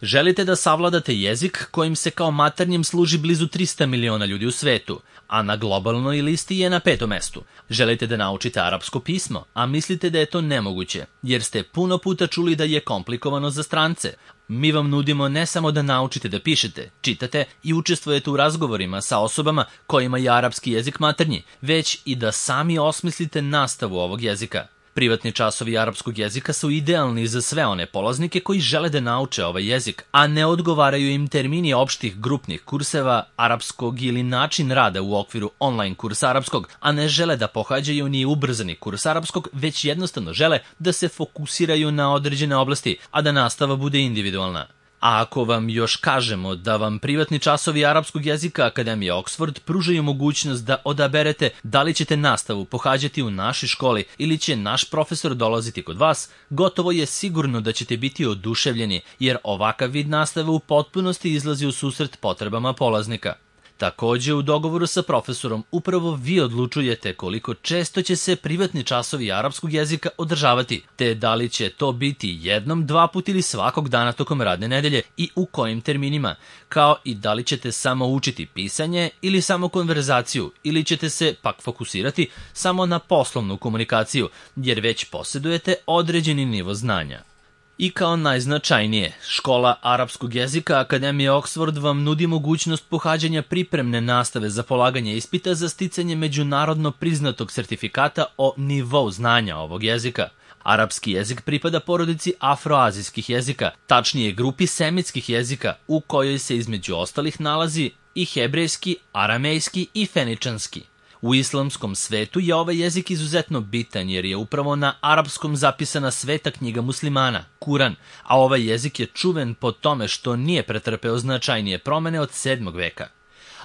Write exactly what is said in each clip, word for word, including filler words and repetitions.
Želite da savladate jezik kojim se kao maternjem služi blizu trista miliona ljudi u svetu, a na globalnoj listi je na petom mestu. Želite da naučite arapsko pismo, a mislite da je to nemoguće, jer ste puno puta čuli da je komplikovano za strance. Mi vam nudimo ne samo da naučite da pišete, čitate i učestvujete u razgovorima sa osobama kojima je arapski jezik maternji, već i da sami osmislite nastavu ovog jezika. Privatni časovi arapskog jezika su idealni za sve one polaznike koji žele da nauče ovaj jezik, a ne odgovaraju im termini opštih grupnih kurseva arapskog ili način rada u okviru online kursa arapskog, a ne žele da pohađaju ni ubrzani kurs arapskog, već jednostavno žele da se fokusiraju na određene oblasti, a da nastava bude individualna. A ako vam još kažemo da vam privatni časovi arapskog jezika Akademije Oxford pružaju mogućnost da odaberete da li ćete nastavu pohađati u našoj školi ili će naš profesor dolaziti kod vas, gotovo je sigurno da ćete biti oduševljeni, jer ovakav vid nastave u potpunosti izlazi u susret potrebama polaznika. Takođe, u dogovoru sa profesorom upravo vi odlučujete koliko često će se privatni časovi arapskog jezika održavati, te da li će to biti jednom, dva put ili svakog dana tokom radne nedelje i u kojim terminima, kao i da li ćete samo učiti pisanje ili samo konverzaciju, ili ćete se pak fokusirati samo na poslovnu komunikaciju, jer već posjedujete određeni nivo znanja. I kao najznačajnije, škola arapskog jezika Akademije Oxford vam nudi mogućnost pohađanja pripremne nastave za polaganje ispita za sticanje međunarodno priznatog sertifikata o nivou znanja ovog jezika. Arapski jezik pripada porodici afroazijskih jezika, tačnije grupi semitskih jezika, u kojoj se između ostalih nalazi i hebrejski, aramejski i feničanski. U islamskom svetu je ovaj jezik izuzetno bitan jer je upravo na arapskom zapisana sveta knjiga muslimana, Kuran, a ovaj jezik je čuven po tome što nije pretrpeo značajnije promene od sedmog veka.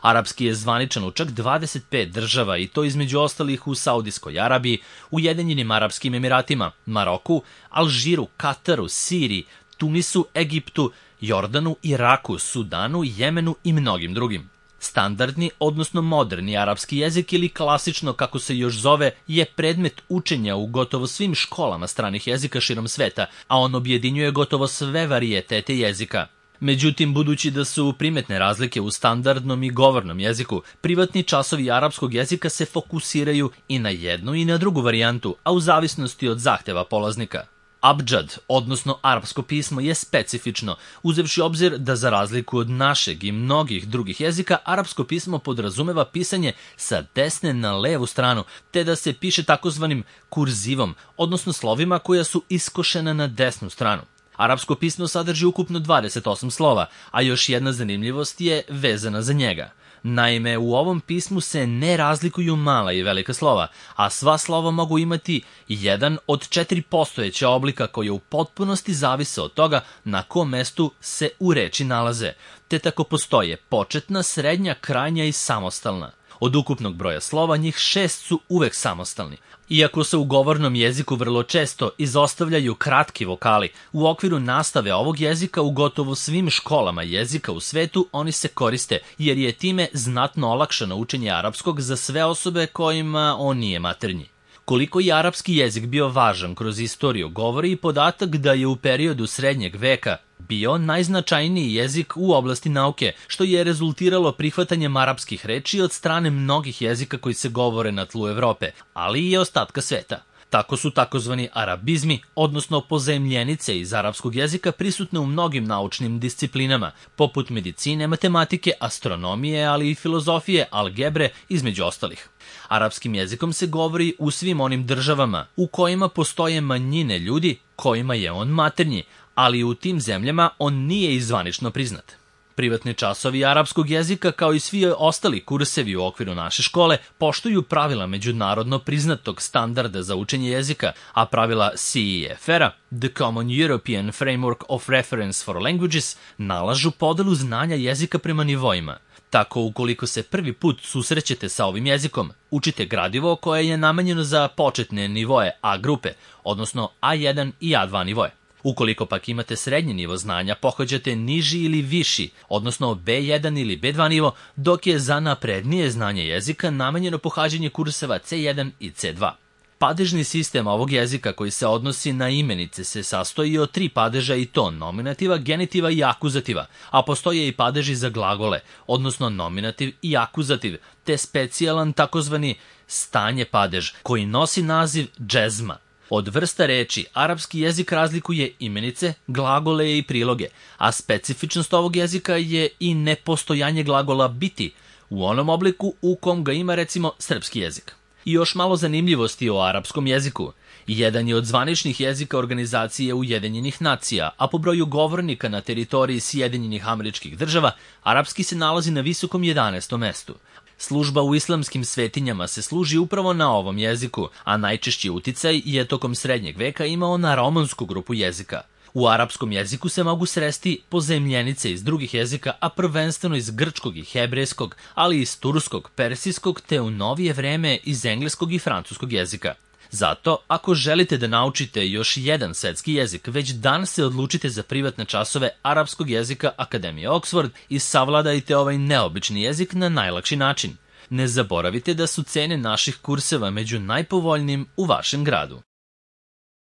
Arapski je zvaničan u čak dvadeset pet država i to između ostalih u Saudijskoj Arabiji, Ujedinjenim Arapskim Emiratima, Maroku, Alžiru, Kataru, Siriji, Tunisu, Egiptu, Jordanu, Iraku, Sudanu, Jemenu i mnogim drugim. Standardni, odnosno moderni arapski jezik ili klasično kako se još zove je predmet učenja u gotovo svim školama stranih jezika širom sveta, a on objedinjuje gotovo sve varijetete jezika. Međutim, budući da su primetne razlike u standardnom i govornom jeziku, privatni časovi arapskog jezika se fokusiraju i na jednu i na drugu varijantu, a u zavisnosti od zahteva polaznika. Abdžad, odnosno arapsko pismo, je specifično, uzevši obzir da za razliku od našeg i mnogih drugih jezika, arapsko pismo podrazumeva pisanje sa desne na levu stranu, te da se piše takozvanim kurzivom, odnosno slovima koja su iskošena na desnu stranu. Arapsko pismo sadrži ukupno dvadeset osam slova, a još jedna zanimljivost je vezana za njega. Naime, u ovom pismu se ne razlikuju mala i velika slova, a sva slova mogu imati jedan od četiri postojeća oblika koje u potpunosti zavise od toga na kom mestu se u reči nalaze, te tako postoje početna, srednja, krajnja i samostalna. Od ukupnog broja slova, njih šest su uvek samostalni. Iako se u govornom jeziku vrlo često izostavljaju kratki vokali, u okviru nastave ovog jezika u gotovo svim školama jezika u svetu oni se koriste, jer je time znatno olakšano učenje arapskog za sve osobe kojima on nije maternji. Koliko je arapski jezik bio važan kroz istoriju govori i podatak da je u periodu srednjeg veka bio najznačajniji jezik u oblasti nauke, što je rezultiralo prihvatanjem arapskih reči od strane mnogih jezika koji se govore na tlu Evrope, ali i ostatka sveta. Tako su takozvani arabizmi, odnosno pozajemljenice iz arapskog jezika, prisutne u mnogim naučnim disciplinama, poput medicine, matematike, astronomije, ali i filozofije, algebre, između ostalih. Arapskim jezikom se govori u svim onim državama u kojima postoje manjine ljudi kojima je on maternji, ali u tim zemljama on nije i zvanično priznat. Privatni časovi arapskog jezika, kao i svi ostali kursevi u okviru naše škole, poštuju pravila međunarodno priznatog standarda za učenje jezika, a pravila C E F R-a, The Common European Framework of Reference for Languages, nalažu podelu znanja jezika prema nivoima. Tako, ukoliko se prvi put susrećete sa ovim jezikom, učite gradivo koje je namenjeno za početne nivoe A grupe, odnosno A jedan i A dva nivoe. Ukoliko pak imate srednji nivo znanja, pohađate niži ili viši, odnosno B jedan ili B dva nivo, dok je za naprednije znanje jezika namenjeno pohađanje kurseva C jedan i C dva. Padežni sistem ovog jezika koji se odnosi na imenice se sastoji od tri padeža i to nominativa, genitiva i akuzativa, a postoje i padeži za glagole, odnosno nominativ i akuzativ, te specijalan takozvani stanje padež koji nosi naziv džezma. Od vrsta reči, arapski jezik razlikuje imenice, glagole i priloge, a specifičnost ovog jezika je i nepostojanje glagola biti u onom obliku u kom ga ima recimo srpski jezik. I još malo zanimljivosti o arapskom jeziku. Jedan je od zvaničnih jezika Organizacije Ujedinjenih nacija, a po broju govornika na teritoriji Sjedinjenih Američkih Država, arapski se nalazi na visokom jedanaestom mestu. Služba u islamskim svetinjama se služi upravo na ovom jeziku, a najčešći uticaj je tokom srednjeg veka imao na romonsku grupu jezika. U arapskom jeziku se mogu sresti pozajmljenice iz drugih jezika, a prvenstveno iz grčkog i hebrejskog, ali i iz turskog, persijskog, te u novije vreme iz engleskog i francuskog jezika. Zato, ako želite da naučite još jedan svetski jezik, već danas se odlučite za privatne časove arapskog jezika Akademije Oxford i savladajte ovaj neobični jezik na najlakši način. Ne zaboravite da su cene naših kurseva među najpovoljnijim u vašem gradu.